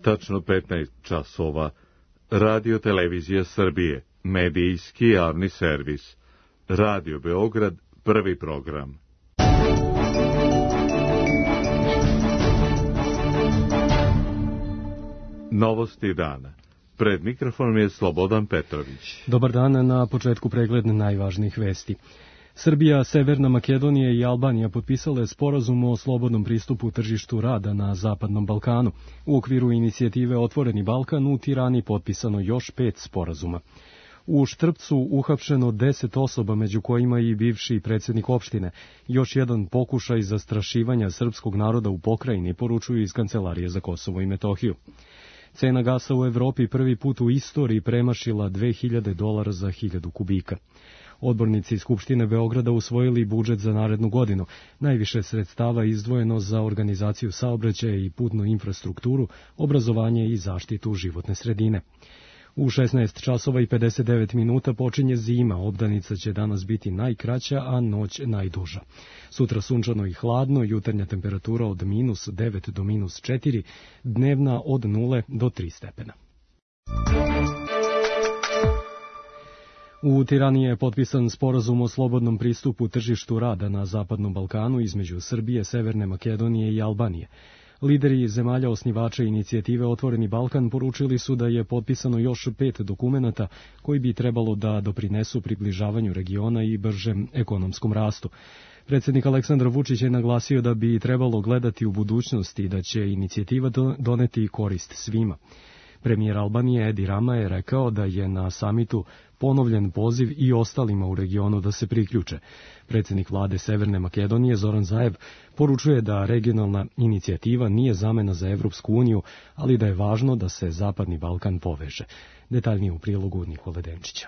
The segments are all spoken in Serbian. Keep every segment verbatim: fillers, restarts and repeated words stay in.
Tačno petnaest časova. Radio Televizija Srbije, medijski javni servis. Radio Beograd, prvi program. Novosti dana. Pred mikrofonom je Slobodan Petrović. Dobar dan, na početku pregled najvažnijih vesti. Srbija, Severna Makedonija i Albanija potpisale sporazum o slobodnom pristupu tržištu rada na Zapadnom Balkanu. U okviru inicijative Otvoreni Balkan u Tirani potpisano još pet sporazuma. U Štrpcu uhapšeno deset osoba, među kojima i bivši predsjednik opštine. Još jedan pokušaj zastrašivanja srpskog naroda u pokrajini, poručuju iz Kancelarije za Kosovo i Metohiju. Cena gasa u Evropi prvi put u istoriji premašila dve hiljade dolara za hiljadu kubika. Odbornici Skupštine Beograda usvojili budžet za narednu godinu. Najviše sredstava izdvojeno za organizaciju saobraćaja i putnu infrastrukturu, obrazovanje i zaštitu životne sredine. U šesnaest časova i pedeset devet minuta počinje zima, obdanica će danas biti najkraća, a noć najduža. Sutra sunčano i hladno, jutarnja temperatura od minus devet do minus četiri, dnevna od nule do tri stepena. U Tirani je potpisan sporazum o slobodnom pristupu tržištu rada na Zapadnom Balkanu između Srbije, Severne Makedonije i Albanije. Lideri zemalja osnivača inicijative Otvoreni Balkan poručili su da je potpisano još pet dokumenata koji bi trebalo da doprinesu približavanju regiona i bržem ekonomskom rastu. Predsjednik Aleksandar Vučić je naglasio da bi trebalo gledati u budućnosti i da će inicijativa doneti korist svima. Premijer Albanije Edi Rama je rekao da je na samitu ponovljen poziv i ostalima u regionu da se priključe. Predsjednik vlade Severne Makedonije Zoran Zaev poručuje da regionalna inicijativa nije zamena za Evropsku uniju, ali da je važno da se Zapadni Balkan poveže. Detaljnije u prilogu Nikole Denčića.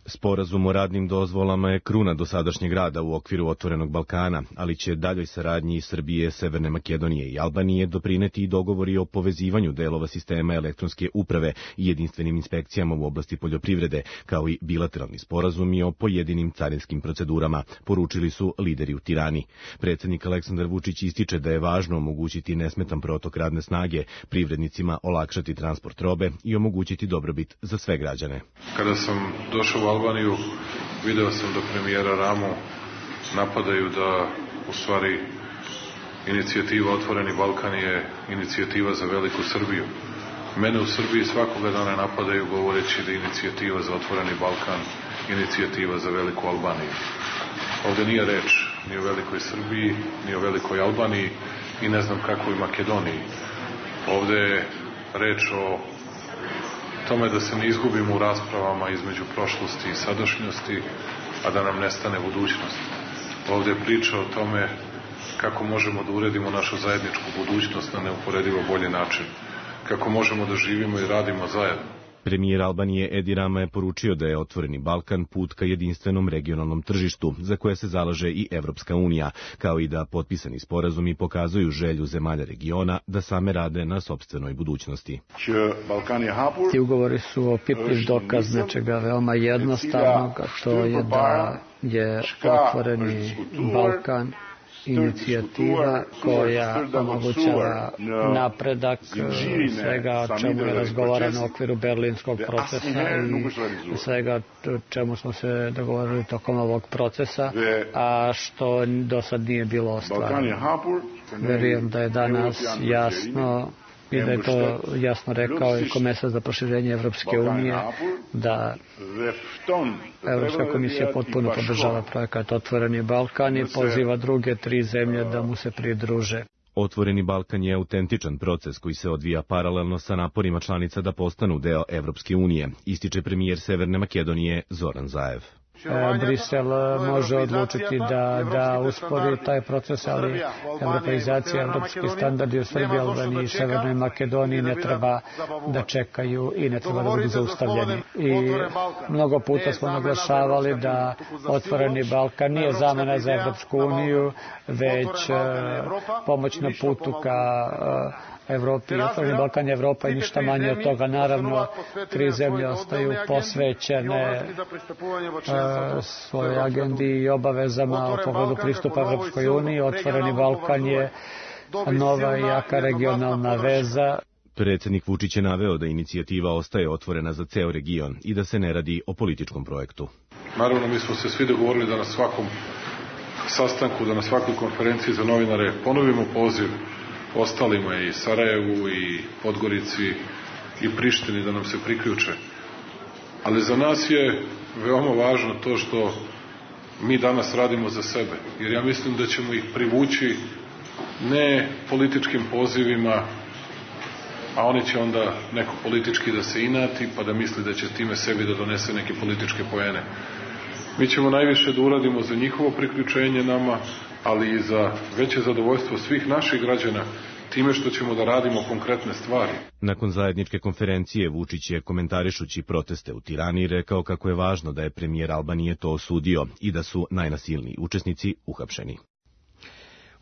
Sporazum o radnim dozvolama je kruna dosadašnjeg rada u okviru Otvorenog Balkana, ali će daljoj saradnji Srbije, Severne Makedonije i Albanije doprineti i dogovori o povezivanju delova sistema elektronske uprave i jedinstvenim inspekcijama u oblasti poljoprivrede, kao i bilateralni sporazumi o pojedinim carinskim procedurama, poručili su lideri u Tirani. Predsjednik Aleksandar Vučić ističe da je važno omogućiti nesmetan protok radne snage, privrednicima olakšati transport robe i omogućiti dobrobit za sve građane. Kada sam došao u Albaniju, video sam da premijera Ramu napadaju da u stvari inicijativa Otvoreni Balkan je inicijativa za veliku Srbiju. Mene u Srbiji svakoga dana napadaju govoreći da je inicijativa za Otvoreni Balkan inicijativa za veliku Albaniju. Ovde nije reč ni o velikoj Srbiji, ni o velikoj Albaniji i ne znam kakvoj Makedoniji. Ovde je reč o tome da se ne izgubimo u raspravama između prošlosti i sadašnjosti, a da nam nestane budućnost. Ovdje je priča o tome kako možemo da uredimo našu zajedničku budućnost na neuporedivo bolji način, kako možemo da živimo i radimo zajedno. Premijer Albanije Edi Rama je poručio da je Otvoreni Balkan put ka jedinstvenom regionalnom tržištu, za koje se zalaže i Evropska unija, kao i da potpisani sporazumi pokazuju želju zemalja regiona da same rade na sopstvenoj budućnosti. Ti ugovori su opipljiv dokaz nečega veoma jednostavnog, a to je da je Otvoreni Balkan inicijativa koja omogućava napredak svega o čemu je razgovarano u okviru berlinskog procesa i svega o čemu smo se dogovorili tokom ovog procesa, a što do sad nije bilo ostvareno. Verujem da je danas jasno i da je to jasno rekao i komesar za proširenje Evropske unije, da Evropska komisija potpuno podržava projekat Otvoreni Balkan i poziva druge tri zemlje da mu se pridruže. Otvoreni Balkan je autentičan proces koji se odvija paralelno sa naporima članica da postanu deo Evropske unije, ističe premijer Severne Makedonije Zoran Zaev. Brisel može odlučiti da, da uspori taj proces, ali evropeizacija, evropski standardi u Srbiji, Albaniji i Severnoj Makedoniji ne treba da čekaju i ne treba da budu zaustavljeni. I mnogo puta smo naglašavali da Otvoreni Balkan nije zamena za Evropsku uniju, već pomoć na putu ka Evropi. Otvoreni Balkan je Evropa i ništa manje od toga. Naravno, tri zemlje ostaju posvećene svojoj agendi i obavezama u pogledu pristupa Evropskoj uniji. Otvoreni Balkan je nova i jaka regionalna veza. Predsjednik Vučić je naveo da inicijativa ostaje otvorena za ceo region i da se ne radi o političkom projektu. Naravno, mi smo se svi dogovorili da na svakom sastanku, da na svakoj konferenciji za novinare ponovimo poziv ostalima i Sarajevu i Podgorici i Prištini da nam se priključe. Ali za nas je veoma važno to što mi danas radimo za sebe, jer ja mislim da ćemo ih privući ne političkim pozivima, a oni će onda neko politički da se inati pa da misli da će time sebi da donese neke političke poene. Mi ćemo najviše da uradimo za njihovo priključenje nama, ali i za veće zadovoljstvo svih naših građana time što ćemo da radimo konkretne stvari. Nakon zajedničke konferencije Vučić je, komentarišući proteste u Tirani, rekao kako je važno da je premijer Albanije to osudio i da su najnasilniji učesnici uhapšeni.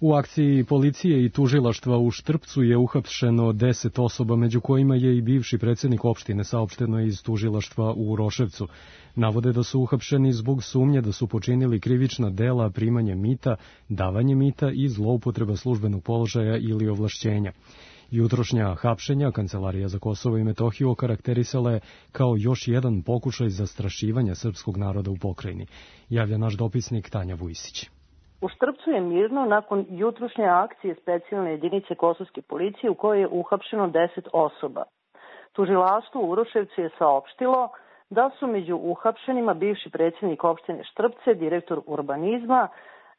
U akciji policije i tužilaštva u Štrpcu je uhapšeno deset osoba, među kojima je i bivši predsjednik opštine, saopšteno iz tužilaštva u Uroševcu. Navode da su uhapšeni zbog sumnje da su počinili krivična dela primanje mita, davanje mita i zloupotreba službenog položaja ili ovlašćenja. Jutrošnja hapšenja Kancelarija za Kosovo i Metohiju okarakterisala je kao još jedan pokušaj zastrašivanja srpskog naroda u pokrajini, javlja naš dopisnik Tanja Vujsić. U Štrpcu je mirno nakon jutrošnje akcije specijalne jedinice kosovske policije u kojoj je uhapšeno deset osoba. Tužilaštvo u Uroševcu je saopštilo da su među uhapšenima bivši predsjednik opštine Štrpce, direktor urbanizma,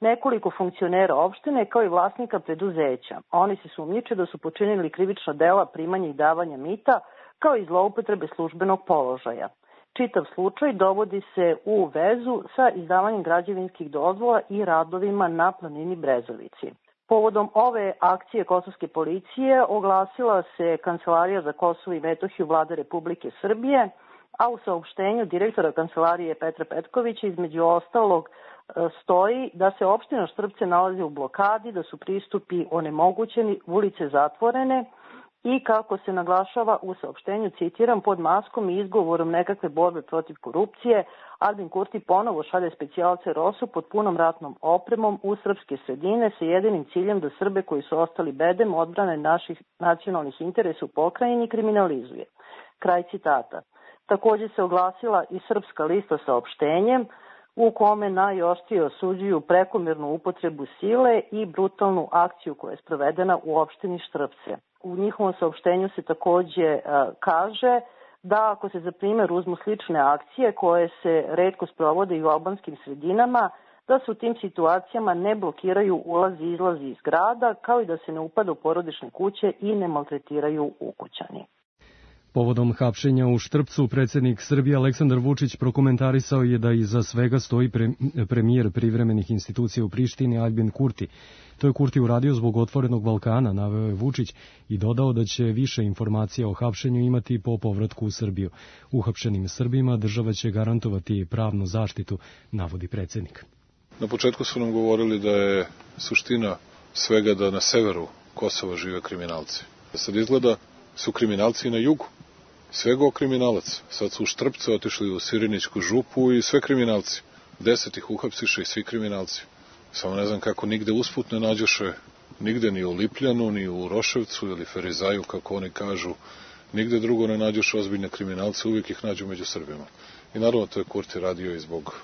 nekoliko funkcionera opštine kao i vlasnika preduzeća. Oni se sumnjiče da su počinili krivična dela primanja i davanja mita kao i zloupotrebe službenog položaja. Čitav slučaj dovodi se u vezu sa izdavanjem građevinskih dozvola i radovima na planini Brezovici. Povodom ove akcije kosovske policije oglasila se Kancelarija za Kosovo i Metohiju Vlade Republike Srbije, a u saopštenju direktora Kancelarije Petra Petkovića između ostalog stoji da se opština Štrpce nalazi u blokadi, da su pristupi onemogućeni, ulice zatvorene i kako se naglašava u saopštenju, citiram, pod maskom i izgovorom nekakve borbe protiv korupcije, Albin Kurti ponovo šalje specijalce Rosu pod punom ratnom opremom u srpske sredine sa jedinim ciljem da Srbe koji su ostali bedem odbrane naših nacionalnih interesa u pokrajini kriminalizuje. Kraj citata. Također se oglasila i Srpska lista saopštenjem u kome najoštrije osuđuju prekomjernu upotrebu sile i brutalnu akciju koja je sprovedena u opštini Štrpce. U njihovom saopštenju se također uh, kaže da ako se za primjer uzmu slične akcije koje se retko sprovode i u albanskim sredinama, da se u tim situacijama ne blokiraju ulazi i izlazi iz grada, kao i da se ne upada u porodične kuće i ne maltretiraju ukućani. Povodom hapšenja u Štrpcu, predsjednik Srbije Aleksandar Vučić prokomentarisao je da iza svega stoji premijer privremenih institucija u Prištini Albin Kurti. To je Kurti uradio zbog Otvorenog Balkana, naveo je Vučić i dodao da će više informacija o hapšenju imati po povratku u Srbiju. Uhapšenim Srbima država će garantovati pravnu zaštitu, navodi predsjednik. Na početku su nam govorili da je suština svega da na severu Kosova žive kriminalci. Sad izgleda su kriminalci i na jugu. Svego kriminalac. Sad su u Štrpce otišli u Sirinićku župu i sve kriminalci. Deset ih uhapsiše i svi kriminalci. Samo ne znam kako nigde usput ne nađoše, nigde ni u Lipljanu, ni u Roševcu ili Ferizaju, kako oni kažu, nigde drugo ne nađoše ozbiljne kriminalce, uvijek ih nađu među Srbima. I naravno to je Kurti radio i zbog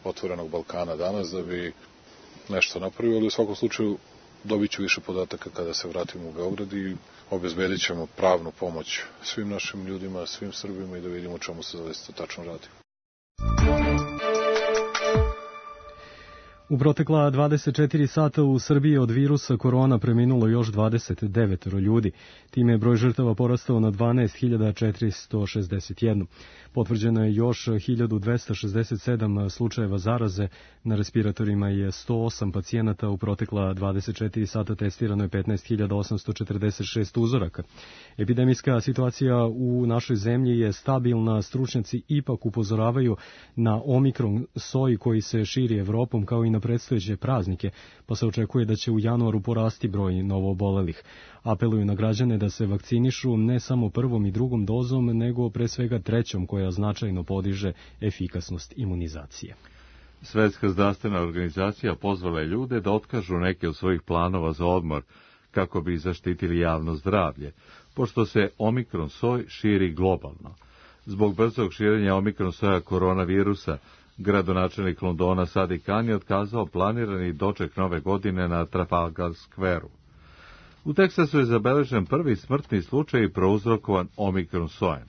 Otvorenog Balkana danas, da bi nešto napravio, ali u svakom slučaju dobit ću više podataka kada se vratimo u Beograd i obezbedit ćemo pravnu pomoć svim našim ljudima, svim Srbima i da vidimo čemu se zaista tačno radi. U protekla dvadeset četiri sata u Srbiji od virusa korona preminulo još dvadeset devet ljudi. Time je broj žrtava porastao na dvanaest hiljada četiristo šezdeset jedan. Potvrđeno je još hiljadu dvesta šezdeset sedam slučajeva zaraze. Na respiratorima je sto osam pacijenata. U protekla dvadeset četiri sata testirano je petnaest hiljada osamsto četrdeset šest uzoraka. Epidemijska situacija u našoj zemlji je stabilna. Stručnjaci ipak upozoravaju na omikron soj koji se širi Evropom kao i na predstojeće praznike, pa se očekuje da će u januaru porasti broj novoobolelih. Apeluju na građane da se vakcinišu ne samo prvom i drugom dozom, nego pre svega trećom, koja značajno podiže efikasnost imunizacije. Svetska zdravstvena organizacija pozvala je ljude da otkažu neke od svojih planova za odmor, kako bi zaštitili javno zdravlje, pošto se omikron soj širi globalno. Zbog brzog širenja omikron soja koronavirusa, gradonačelnik Londona Sadiq Khan je otkazao planirani doček nove godine na Trafalgar Square-u. U Teksasu je zabeležen prvi smrtni slučaj prouzrokovan omikron sojem.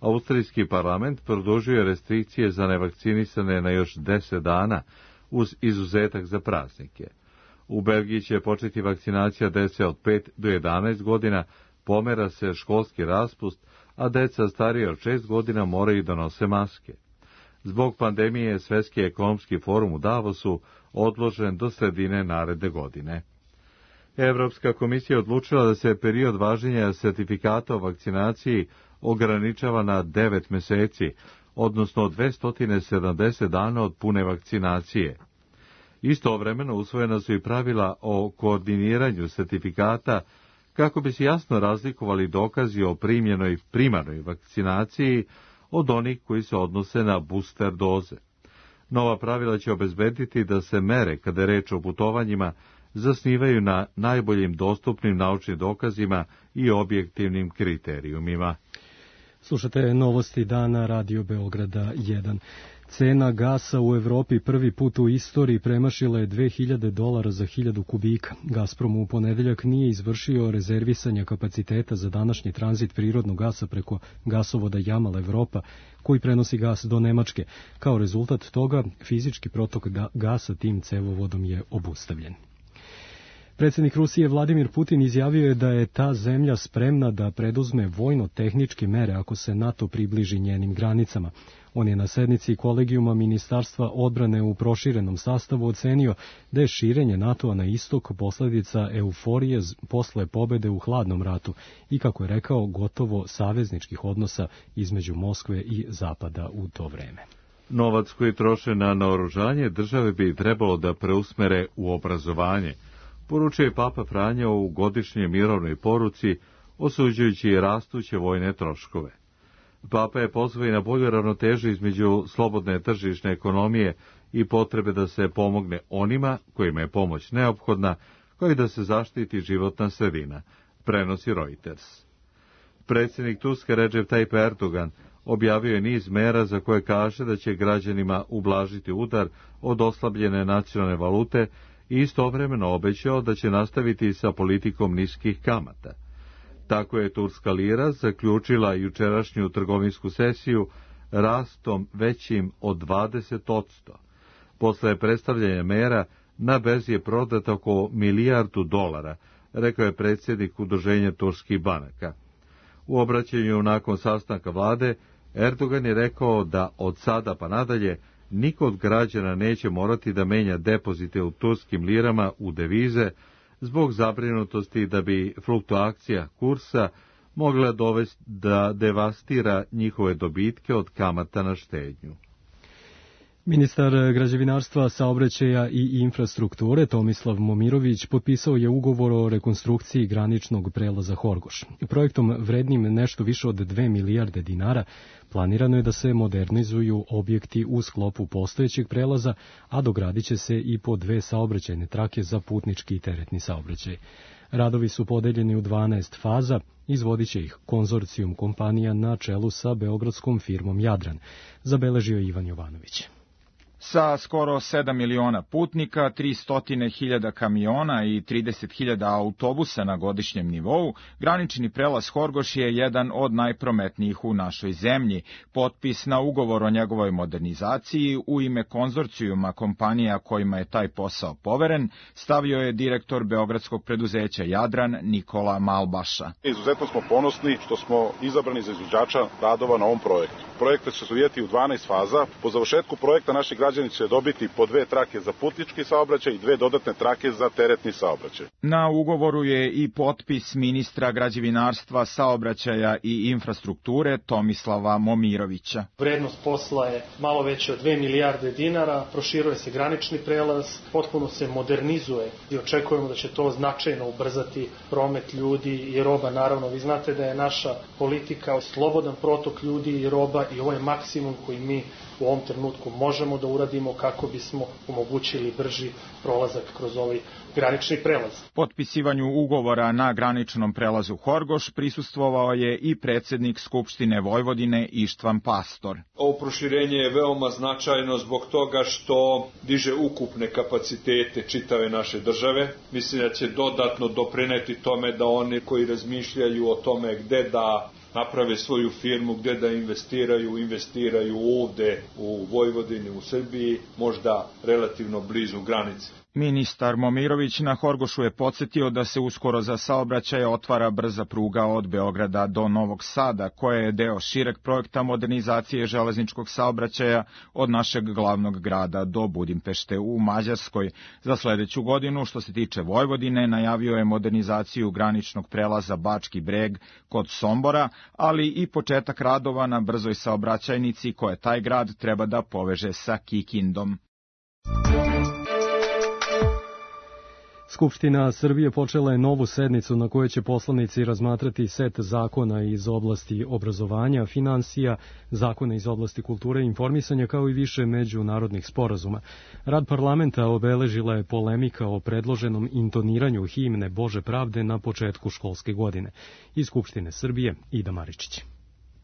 Austrijski parlament produžio je restrikcije za nevakcinisane na još deset dana, uz izuzetak za praznike. U Belgiji će početi vakcinacija dece od pet do jedanaest godina, pomera se školski raspust, a deca starije od šest godina moraju da nose maske. Zbog pandemije Svetski ekonomski forum u Davosu odložen do sredine naredne godine. Evropska komisija odlučila da se period važenja sertifikata o vakcinaciji ograničava na devet meseci, odnosno dvesta sedamdeset dana od pune vakcinacije. Istovremeno usvojena su i pravila o koordiniranju sertifikata kako bi se jasno razlikovali dokazi o primljenoj primarnoj vakcinaciji od onih koji se odnose na booster doze. Nova pravila će obezbediti da se mere, kada je reč o putovanjima, zasnivaju na najboljim dostupnim naučnim dokazima i objektivnim kriterijumima. Slušate novosti dana Radio Beograda jedan. Cena gasa u Evropi prvi put u istoriji premašila je dve hiljade dolara za hiljadu kubika. Gazprom u ponedeljak nije izvršio rezervisanje kapaciteta za današnji tranzit prirodnog gasa preko gasovoda Jamal Evropa, koji prenosi gas do Nemačke. Kao rezultat toga, fizički protok gasa tim cevovodom je obustavljen. Predsjednik Rusije Vladimir Putin izjavio je da je ta zemlja spremna da preduzme vojno-tehničke mere ako se NATO približi njenim granicama. On je na sednici kolegijuma Ministarstva odbrane u proširenom sastavu ocenio da je širenje NATO-a na istok posljedica euforije posle pobede u hladnom ratu i, kako je rekao, gotovo savezničkih odnosa između Moskve i Zapada u to vreme. Novac koji troše na naoružanje države bi trebalo da preusmere u obrazovanje, poručio je Papa Franjo u godišnjoj mirovnoj poruci, osuđujući rastuće vojne troškove. Papa je pozvao i na bolju ravnotežu između slobodne tržišne ekonomije i potrebe da se pomogne onima kojima je pomoć neophodna, kao i da se zaštiti životna sredina, prenosi Reuters. Predsjednik Turske Recep Tayyip Erdogan objavio je niz mera za koje kaže da će građanima ublažiti udar od oslabljene nacionalne valute i istovremeno obećao da će nastaviti sa politikom niskih kamata. Tako je turska lira zaključila jučerašnju trgovinsku sesiju rastom većim od dvadeset odsto. Posle predstavljanja mera, na berzi je prodato oko milijardu dolara, rekao je predsjednik Udruženja turskih banaka. U obraćanju nakon sastanka vlade, Erdogan je rekao da od sada pa nadalje niko od građana neće morati da menja depozite u turskim lirama u devize, zbog zabrinutosti da bi fluktuacija kursa mogla dovesti da devastira njihove dobitke od kamata na štednju. Ministar građevinarstva, saobraćaja i infrastrukture Tomislav Momirović potpisao je ugovor o rekonstrukciji graničnog prelaza Horgoš. Projektom vrednim nešto više od dve milijarde dinara planirano je da se modernizuju objekti u sklopu postojećeg prelaza, a dogradit će se i po dve saobraćajne trake za putnički i teretni saobraćaj. Radovi su podeljeni u dvanaest faza, izvodit će ih konzorcijum kompanija na čelu sa beogradskom firmom Jadran, zabeležio Ivan Jovanović. Sa skoro sedam miliona putnika, tristo hiljada kamiona i trideset hiljada autobusa na godišnjem nivou, granični prelaz Horgoš je jedan od najprometnijih u našoj zemlji. Potpis na ugovor o njegovoj modernizaciji u ime konzorcijuma kompanija kojima je taj posao poveren stavio je direktor beogradskog preduzeća Jadran Nikola Malbaša. Izuzetno smo ponosni što smo izabrani za izvođača radova na ovom projektu. Projekat će se odvijati u dvanaest faza. Po završetku projekta naši građani će dobiti po dve trake za putnički saobraćaj i dve dodatne trake za teretni saobraćaj. Na ugovoru je i potpis ministra građevinarstva, saobraćaja i infrastrukture Tomislava Momirovića. Vrednost posla je malo veća od dve milijarde dinara, proširuje se granični prelaz, potpuno se modernizuje i očekujemo da će to značajno ubrzati promet ljudi i roba. Naravno, vi znate da je naša politika slobodan protok ljudi i roba i ovo je maksimum koji mi u ovom trenutku možemo da uradimo. uradimo kako bismo omogućili brži prolazak kroz ovaj granični prelaz. Potpisivanju ugovora na graničnom prelazu Horgoš prisustvovao je i predsjednik Skupštine Vojvodine Ištvan Pastor. Ovo proširenje je veoma značajno zbog toga što diže ukupne kapacitete čitave naše države. Mislim da će dodatno doprineti tome da oni koji razmišljaju o tome gde da naprave svoju firmu, gde da investiraju, investiraju ovde u Vojvodini, u Srbiji, možda relativno blizu granice. Ministar Momirović na Horgošu je podsjetio da se uskoro za saobraćaj otvara brza pruga od Beograda do Novog Sada, koja je deo šireg projekta modernizacije železničkog saobraćaja od našeg glavnog grada do Budimpešte u Mađarskoj. Za sledeću godinu, što se tiče Vojvodine, najavio je modernizaciju graničnog prelaza Bački Breg kod Sombora, ali i početak radova na brzoj saobraćajnici koje taj grad treba da poveže sa Kikindom. Skupština Srbije počela je novu sednicu na kojoj će poslanici razmatrati set zakona iz oblasti obrazovanja, finansija, zakona iz oblasti kulture i informisanja, kao i više međunarodnih sporazuma. Rad parlamenta obeležila je polemika o predloženom intoniranju himne Bože pravde na početku školske godine. Iz Skupštine Srbije, Ida Maričić.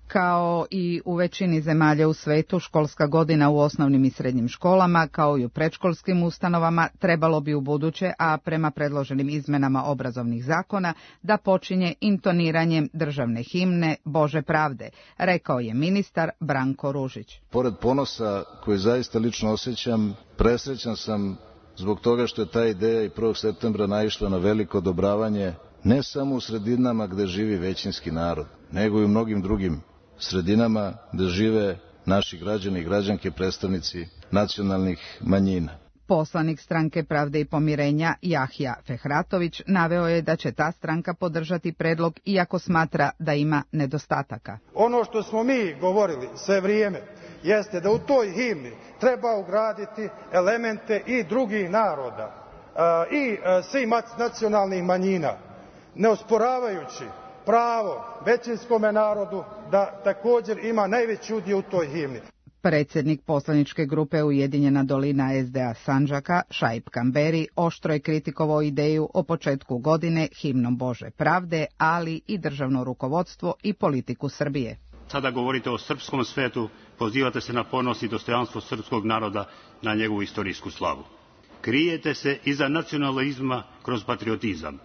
Kao i u većini zemalja u svetu, školska godina u osnovnim i srednjim školama, kao i u predškolskim ustanovama, trebalo bi u buduće, a prema predloženim izmenama obrazovnih zakona, da počinje intoniranjem državne himne Bože pravde, rekao je ministar Branko Ružić. Pored ponosa koji zaista lično osjećam, presrećan sam zbog toga što je ta ideja i prvog septembra naišla na veliko odobravanje ne samo u sredinama gde živi većinski narod, nego i u mnogim drugim sredinama gde žive naši građani i građanke, predstavnici nacionalnih manjina. Poslanik Stranke pravde i pomirenja Jahja Fehratović naveo je da će ta stranka podržati predlog iako smatra da ima nedostataka. Ono što smo mi govorili sve vrijeme jeste da u toj himni treba ugraditi elemente i drugih naroda i svih nacionalnih manjina, ne osporavajući pravo većinskome narodu da također ima najveći udio u toj himni. Predsjednik poslaničke grupe Ujedinjena dolina es de a Sandžaka, Šaip Kamberi, oštro je kritikovao ideju o početku godine himnom Bože pravde, ali i državno rukovodstvo i politiku Srbije. Sada govorite o srpskom svetu, pozivate se na ponos i dostojanstvo srpskog naroda, na njegovu istorijsku slavu. Krijete se iza nacionalizma kroz patriotizam,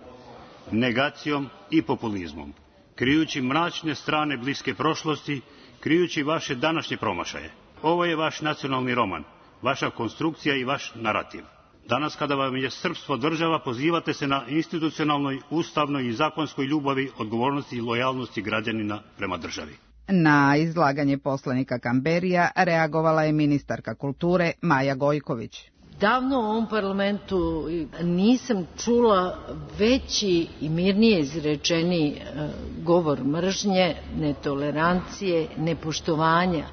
negacijom i populizmom, krijući mračne strane bliske prošlosti, krijući vaše današnje promašaje. Ovo je vaš nacionalni roman, vaša konstrukcija i vaš narativ. Danas kada vam je srpstvo država, pozivate se na institucionalnoj, ustavnoj i zakonskoj ljubavi, odgovornosti i lojalnosti građanina prema državi. Na izlaganje poslanika Kamberija reagovala je ministarka kulture Maja Gojković. Davno u ovom parlamentu nisam čula veći i mirnije izrečeni govor mržnje, netolerancije, nepoštovanja,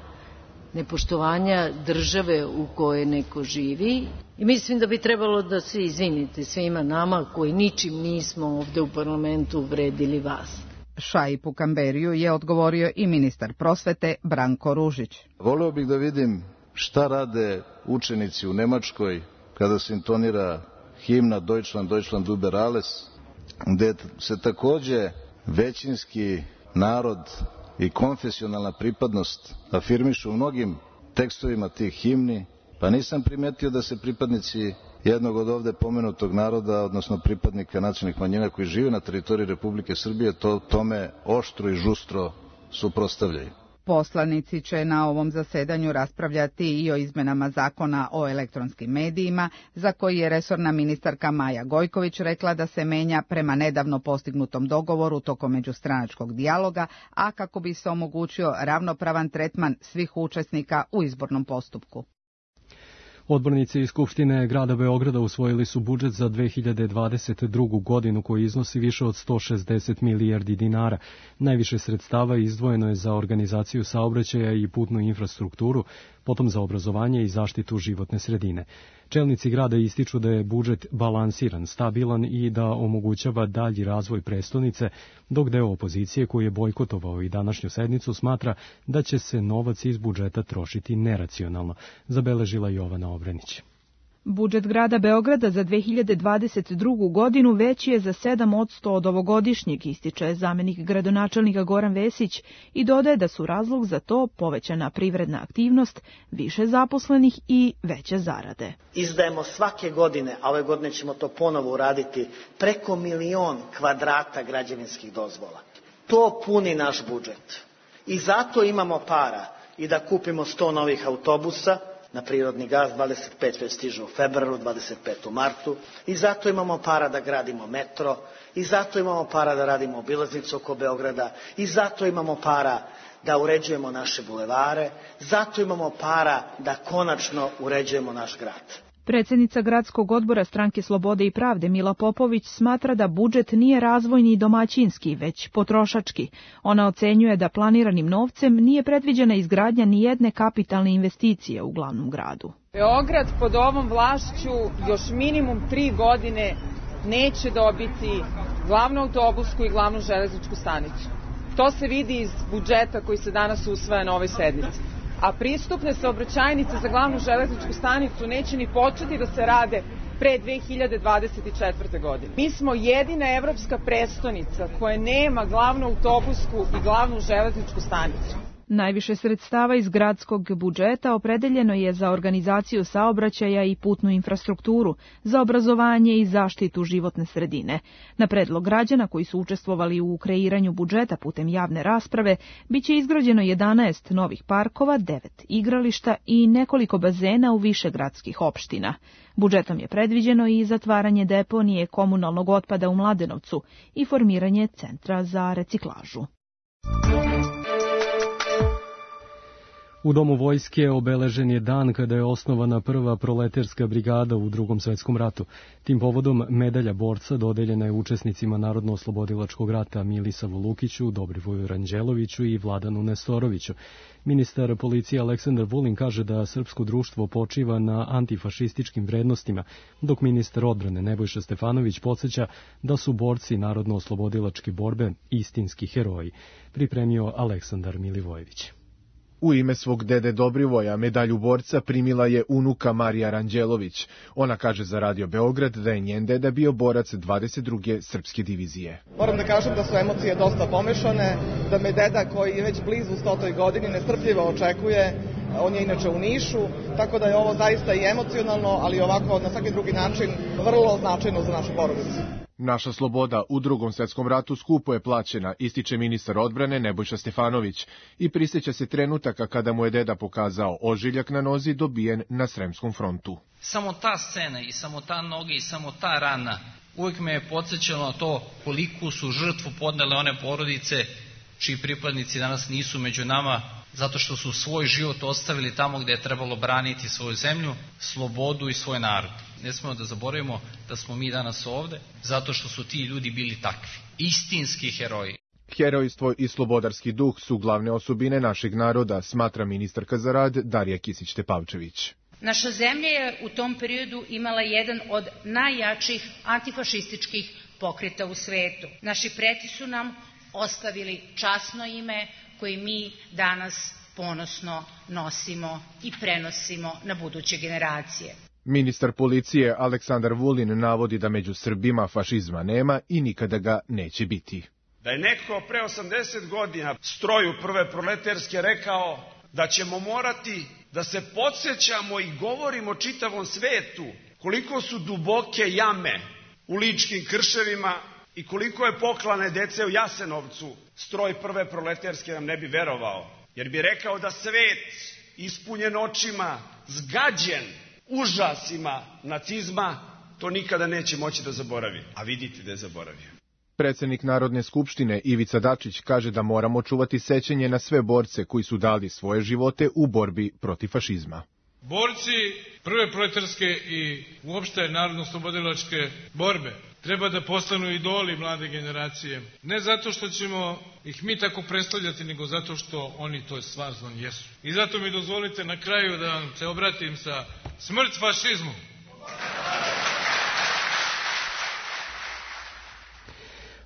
nepoštovanja države u kojoj neko živi. I mislim da bi trebalo da se izvinite svima nama koji ničim nismo ovde u parlamentu uvredili vas. Šaipu Kamberiju je odgovorio i ministar prosvete Branko Ružić. Voleo bih da vidim šta rade učenici u Nemačkoj kada se intonira himna Deutschland, Deutschland über alles, gde se takođe većinski narod i konfesionalna pripadnost afirmišu u mnogim tekstovima tih himni, pa nisam primetio da se pripadnici jednog od ovde pomenutog naroda, odnosno pripadnika nacionalnih manjina koji žive na teritoriji Republike Srbije, to tome oštro i žustro suprotstavljaju. Poslanici će na ovom zasedanju raspravljati i o izmenama zakona o elektronskim medijima, za koji je resorna ministarka Maja Gojković rekla da se menja prema nedavno postignutom dogovoru tokom međustranačkog dijaloga, a kako bi se omogućio ravnopravan tretman svih učesnika u izbornom postupku. Odbornici iz Skupštine grada Beograda usvojili su budžet za dve hiljade dvadeset drugu. godinu koji iznosi više od sto šezdeset milijardi dinara. Najviše sredstava izdvojeno je za organizaciju saobraćaja i putnu infrastrukturu. potom za obrazovanje i zaštitu životne sredine. Čelnici grada ističu da je budžet balansiran, stabilan i da omogućava dalji razvoj prestonice, dok deo opozicije koji je bojkotovao i današnju sednicu smatra da će se novac iz budžeta trošiti neracionalno, zabeležila Jovana Obrenić. Budžet grada Beograda za dve hiljade dvadeset drugu. godinu veći je za sedam posto od ovogodišnjeg, ističe zamenik gradonačelnika Goran Vesić i dodaje da su razlog za to povećana privredna aktivnost, više zaposlenih i veće zarade. Izdajemo svake godine, a ove godine ćemo to ponovo uraditi, preko milion kvadrata građevinskih dozvola. To puni naš budžet. I zato imamo para i da kupimo sto novih autobusa, na prirodni gas, dvadeset pet već stiže u februaru, dvadeset pet u martu, i zato imamo para da gradimo metro, i zato imamo para da radimo obilaznicu oko Beograda, i zato imamo para da uređujemo naše bulevare, zato imamo para da konačno uređujemo naš grad. Predsednica gradskog odbora Stranke slobode i pravde Mila Popović smatra da budžet nije razvojni i domaćinski, već potrošački. Ona ocenjuje da planiranim novcem nije predviđena izgradnja ni jedne kapitalne investicije u glavnom gradu. Beograd pod ovom vlašću još minimum tri godine neće dobiti glavnu autobusku i glavnu železničku stanicu. To se vidi iz budžeta koji se danas usvaja na ovoj sednici. A pristupne saobraćajnice za glavnu železničku stanicu neće ni početi da se rade pre dve hiljade dvadeset četvrte. godine. Mi smo jedina evropska prestonica koja nema glavnu autobusku i glavnu železničku stanicu. Najviše sredstava iz gradskog budžeta opredeljeno je za organizaciju saobraćaja i putnu infrastrukturu, za obrazovanje i zaštitu životne sredine. Na predlog građana koji su učestvovali u kreiranju budžeta putem javne rasprave, biće izgrađeno jedanaest novih parkova, devet igrališta i nekoliko bazena u više gradskih opština. Budžetom je predviđeno i zatvaranje deponije komunalnog otpada u Mladenovcu i formiranje centra za reciklažu. U Domu vojske obeležen je dan kada je osnovana prva proleterska brigada u Drugom svetskom ratu. Tim povodom medalja borca dodeljena je učesnicima Narodno-oslobodilačkog rata Milisavu Lukiću, Dobrivoju Ranđeloviću i Vladanu Nestoroviću. Ministar policije Aleksandar Vulin kaže da srpsko društvo počiva na antifašističkim vrednostima, dok ministar odbrane Nebojša Stefanović podsjeća da su borci Narodno-oslobodilačke borbe istinski heroji, pripremio Aleksandar Milivojević. U ime svog dede Dobrivoja medalju borca primila je unuka Marija Ranđelović. Ona kaže za Radio Beograd da je njen deda bio borac dvadeset druge srpske divizije. Moram da kažem da su emocije dosta pomešane, da me deda koji je već blizu stotoj godini nestrpljivo očekuje, on je inače u Nišu, tako da je ovo zaista i emocionalno, ali ovako na svaki drugi način vrlo značajno za našu porodicu. Naša sloboda u Drugom svetskom ratu skupo je plaćena, ističe ministar odbrane Nebojša Stefanović i prisjeća se trenutaka kada mu je deda pokazao ožiljak na nozi dobijen na Sremskom frontu. Samo ta scena i samo ta noga i samo ta rana uvijek me je podsjećalo na to koliko su žrtvu podnele one porodice čiji pripadnici danas nisu među nama, zato što su svoj život ostavili tamo gde je trebalo braniti svoju zemlju, slobodu i svoj narod. Ne smemo da zaboravimo da smo mi danas ovde, zato što su ti ljudi bili takvi. Istinski heroji. Herojstvo i slobodarski duh su glavne osobine našeg naroda, smatra ministarka za rad Darija Kisić-Tepavčević. Naša zemlja je u tom periodu imala jedan od najjačih antifašističkih pokreta u svetu. Naši preci su nam ostavili časno ime koje mi danas ponosno nosimo i prenosimo na buduće generacije. Ministar policije Aleksandar Vulin navodi da među Srbima fašizma nema i nikada ga neće biti. Da je neko pre osamdeset godina stroju prve proleterske rekao da ćemo morati da se podsjećamo i govorimo čitavom svetu koliko su duboke jame u ličkim krševima i koliko je poklane dece u Jasenovcu, stroj prve proleterske nam ne bi verovao, jer bi rekao da svet ispunjen očima, zgađen užasima nacizma, to nikada neće moći da zaboravi. A vidite da je zaboravio. Predsednik Narodne skupštine Ivica Dačić kaže da moramo čuvati sećanje na sve borce koji su dali svoje živote u borbi protiv fašizma. Borci prve proletarske i uopšte narodno-oslobodilačke borbe treba da postanu idoli mlade generacije. Ne zato što ćemo ih mi tako predstavljati, nego zato što oni to stvarno jesu. I zato mi dozvolite na kraju da vam se obratim sa smrt fašizmu.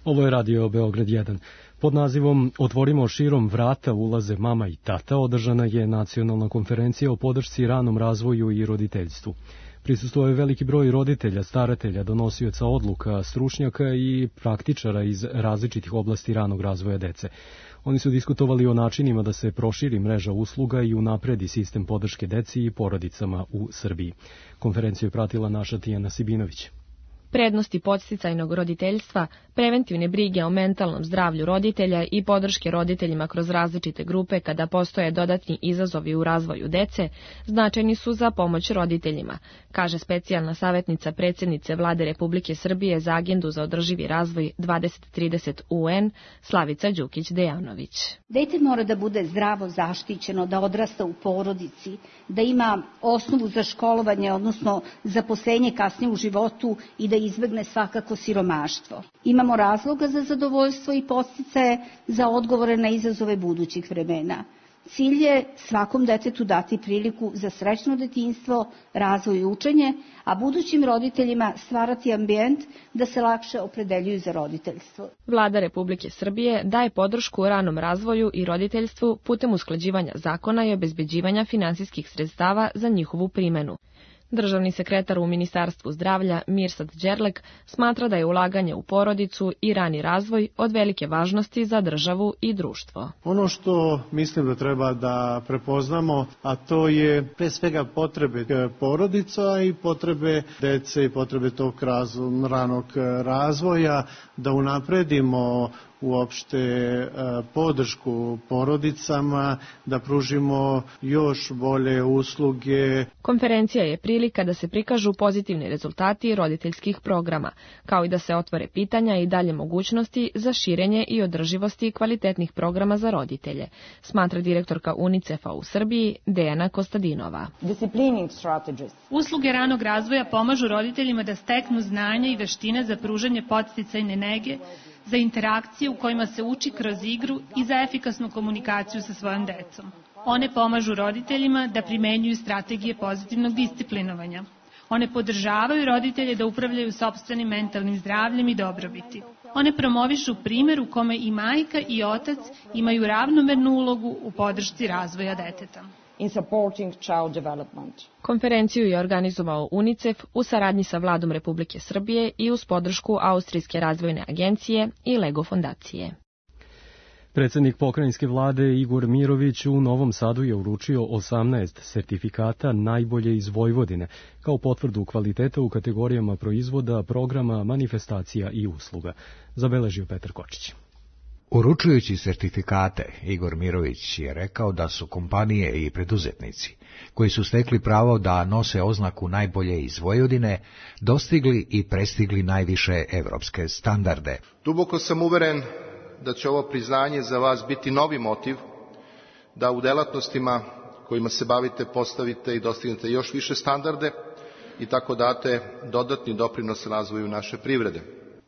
Ovo je radio Beograd jedan. Pod nazivom Otvorimo širom vrata ulaze mama i tata održana je nacionalna konferencija o podršci ranom razvoju i roditeljstvu. Prisustvovao je veliki broj roditelja, staratelja, donosioca odluka, stručnjaka i praktičara iz različitih oblasti ranog razvoja dece. Oni su diskutovali o načinima da se proširi mreža usluga i unapredi sistem podrške deci i porodicama u Srbiji. Konferenciju je pratila naša Tijana Sibinović. Prednosti podsticajnog roditeljstva, preventivne brige o mentalnom zdravlju roditelja i podrške roditeljima kroz različite grupe kada postoje dodatni izazovi u razvoju dece, značajni su za pomoć roditeljima, kaže specijalna savjetnica predsjednice Vlade Republike Srbije za agendu za održivi razvoj dvadeset trideset U N, Slavica Đukić-Dejanović. Dete mora da bude zdravo zaštićeno, da odrasta u porodici, da ima osnovu za školovanje, odnosno zaposlenje kasnije u životu i da izbegne svakako siromaštvo. Imamo razloga za zadovoljstvo i podsticaje za odgovore na izazove budućih vremena. Cilj je svakom detetu dati priliku za srećno detinjstvo, razvoj i učenje, a budućim roditeljima stvarati ambijent da se lakše opredeljuju za roditeljstvo. Vlada Republike Srbije daje podršku ranom razvoju i roditeljstvu putem usklađivanja zakona i obezbeđivanja finansijskih sredstava za njihovu primenu. Državni sekretar u Ministarstvu zdravlja Mirsad Đerlek smatra da je ulaganje u porodicu i rani razvoj od velike važnosti za državu i društvo. Ono što mislim da treba da prepoznamo, a to je pre svega potrebe porodica i potrebe dece i potrebe tog ranog razvoja, da unapredimo uopšte podršku porodicama, da pružimo još bolje usluge. Konferencija je prilika da se prikažu pozitivni rezultati roditeljskih programa, kao i da se otvore pitanja i dalje mogućnosti za širenje i održivosti kvalitetnih programa za roditelje, smatra direktorka UNICEF-a u Srbiji Dejana Kostadinova. Usluge ranog razvoja pomažu roditeljima da steknu znanja i veštine za pružanje podsticajne nege, za interakcije u kojima se uči kroz igru i za efikasnu komunikaciju sa svojom decom. One pomažu roditeljima da primenjuju strategije pozitivnog disciplinovanja. One podržavaju roditelje da upravljaju sopstvenim mentalnim zdravljem i dobrobiti. One promovišu primjer u kome i majka i otac imaju ravnomernu ulogu u podršci razvoja deteta. In supporting child development. Konferenciju je organizovao UNICEF u saradnji sa Vladom Republike Srbije i uz podršku Austrijske razvojne agencije i Lego fondacije. Predsjednik pokrajinske vlade Igor Mirović u Novom Sadu je uručio osamnaest sertifikata najbolje iz Vojvodine, kao potvrdu kvaliteta u kategorijama proizvoda, programa, manifestacija i usluga, zabeležio Petar Kočić. Uručujući sertifikate, Igor Mirović je rekao da su kompanije i preduzetnici, koji su stekli pravo da nose oznaku najbolje iz Vojvodine, dostigli i prestigli najviše evropske standarde. Duboko sam uveren da će ovo priznanje za vas biti novi motiv da u delatnostima kojima se bavite postavite i dostignete još više standarde i tako date dodatni doprinos razvoju naše privrede.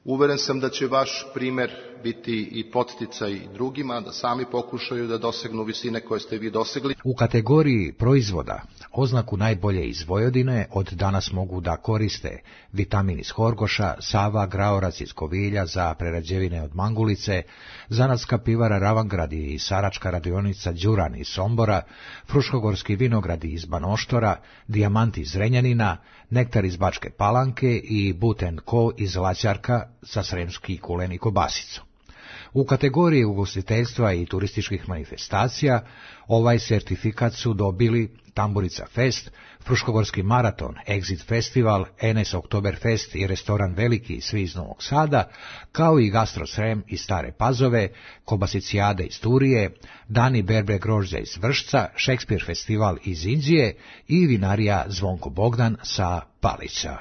Uveren sam da će vaš primer biti i podsticaj drugima, da sami pokušaju da dosegnu visine koje ste vi dosegli. U kategoriji proizvoda oznaku najbolje iz Vojvodine od danas mogu da koriste vitamin iz Horgoša, Sava, Graorac iz Kovilja za prerađevine od mangulice, zanatska pivara Ravangrad i saračka radionica Đuran iz Sombora, fruškogorski vinogradi iz Banoštora, dijamant iz Zrenjanina, nektar iz Bačke Palanke i Buten Ko iz Laćarka za sremski kulen i kobasicu. U kategoriji ugostiteljstva i turističkih manifestacija ovaj sertifikat su dobili Tamburica Fest, Fruškogorski maraton, Exit Festival, Enes Oktoberfest i restoran Veliki svi iz Novog Sada, kao i Gastro Srem iz Stare Pazove, Kobasicijade iz Turije, Dani berbe grožđa iz Vršca, Šekspir festival iz Inđije i vinarija Zvonko Bogdan sa Palića.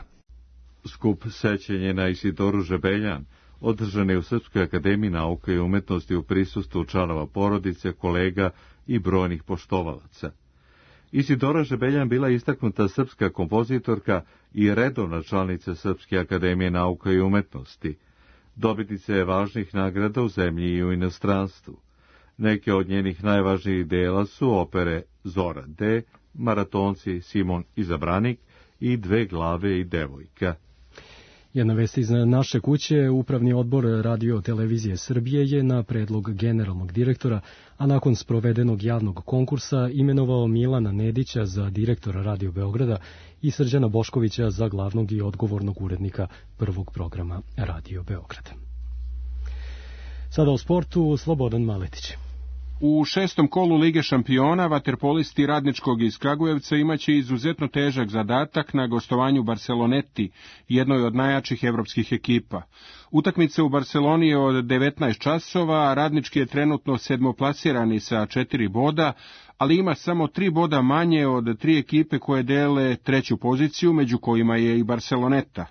Skup sećenja na Isidoru Žebeljan održan je u Srpskoj akademiji nauke i umetnosti u prisustvu članova porodice, kolega i brojnih poštovalaca. Isidora Žebeljan bila istaknuta srpska kompozitorka i redovna članica Srpske akademije nauka i umetnosti. Dobitnica je važnih nagrada u zemlji i u inostranstvu. Neke od njenih najvažnijih dela su opere Zora D, Maratonci, Simon i Zabranik i Dve glave i devojka. Jedna vest iz naše kuće, Upravni odbor Radio Televizije Srbije je na predlog generalnog direktora, a nakon sprovedenog javnog konkursa imenovao Milana Nedića za direktora Radio Beograda i Srđana Boškovića za glavnog i odgovornog urednika prvog programa Radio Beograda. Sada o sportu, Slobodan Maletić. U šestom kolu Lige šampiona vaterpolisti Radničkog iz Kragujevca imaće izuzetno težak zadatak na gostovanju Barceloneti, jednoj od najjačih evropskih ekipa. Utakmica u Barceloni je od devetnaest časova, a Radnički je trenutno sedmoplasirani sa četiri boda, ali ima samo tri boda manje od tri ekipe koje dele treću poziciju, među kojima je i Barceloneta.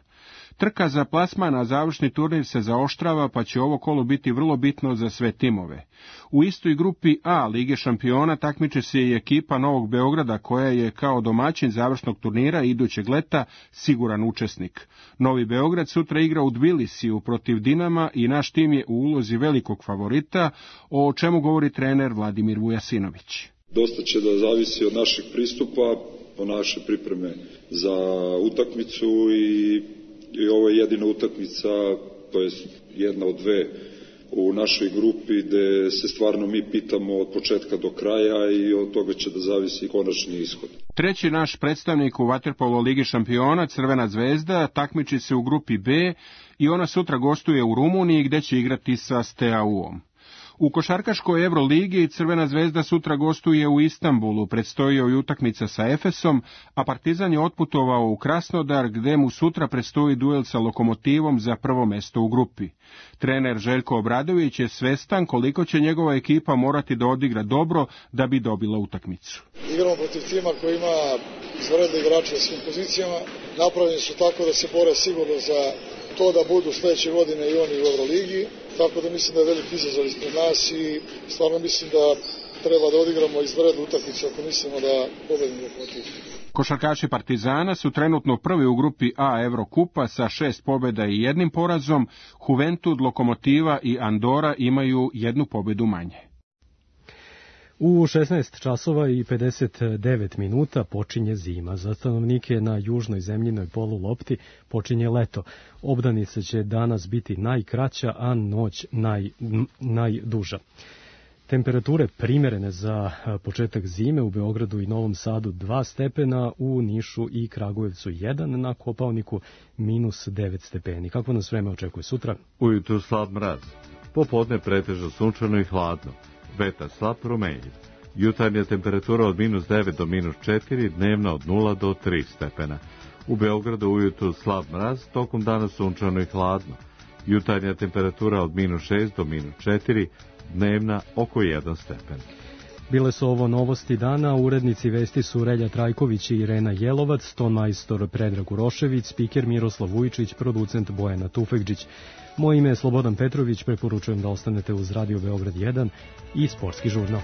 Trka za plasman na završni turnir se zaoštrava, pa će ovo kolo biti vrlo bitno za sve timove. U istoj grupi A Lige šampiona takmiče se i ekipa Novog Beograda, koja je kao domaćin završnog turnira idućeg leta siguran učesnik. Novi Beograd sutra igra u Tbilisiju protiv Dinama i naš tim je u ulozi velikog favorita, o čemu govori trener Vladimir Vujasinović. Dosta će da zavisi od našeg pristupa, po naše pripreme za utakmicu i I ovo je jedina utakmica, to je jedna od dve u našoj grupi gde se stvarno mi pitamo od početka do kraja i od toga će da zavisi konačni ishod. Treći naš predstavnik u vaterpolo Ligi šampiona, Crvena zvezda, takmiči se u grupi B i ona sutra gostuje u Rumuniji gde će igrati sa Steaua U-om. U košarkaškoj Euroligi Crvena zvezda sutra gostuje u Istanbulu, predstoji joj utakmica sa Efesom, a Partizan je otputovao u Krasnodar gde mu sutra predstoji duel sa Lokomotivom za prvo mesto u grupi. Trener Željko Obradović je svestan koliko će njegova ekipa morati da odigra dobro da bi dobila utakmicu. Igramo protiv tima koji ima izvanredne igrače na svim pozicijama, napravljeni su tako da se bore sigurno za to da budu sledeće godine i oni u Euroligi, tako da mislim da je veliki izazov ispred nas i stvarno mislim da treba da odigramo izvanrednu utakmicu ako mislimo da pobedimo protiv. Košarkaši Partizana su trenutno prvi u grupi A Evrokupa sa šest pobjeda i jednim porazom, Juventud, Lokomotiva i Andora imaju jednu pobjedu manje. U šesnaest časova i pedeset devet minuta počinje zima. Za stanovnike na južnoj zemljinoj polulopti počinje leto. Obdanica će danas biti najkraća, a noć naj, najduža. Temperature primerene za početak zime u Beogradu i Novom Sadu dva stepena, u Nišu i Kragujevcu jedan, na Kopaoniku minus devet stepeni. Kako nas vreme očekuje sutra? Ujutru slab mraz. Popodne pretežno sunčano i hladno. Vetar slab promenljiv. Jutarnja temperatura od minus devet do minus četiri, dnevna od nula do tri stepena. U Beogradu ujutru slab mraz, tokom dana sunčano i hladno. Jutarnja temperatura od minus šest do minus četiri, dnevna oko jedan stepen. Bile su ovo novosti dana, urednici vesti su Relja Trajković i Irena Jelovac, tonmajstor Predrag Urošević, spiker Miroslav Vujčić, producent Bojana Tufekđić. Moje ime je Slobodan Petrović, preporučujem da ostanete uz Radio Beograd jedan i Sportski žurnal.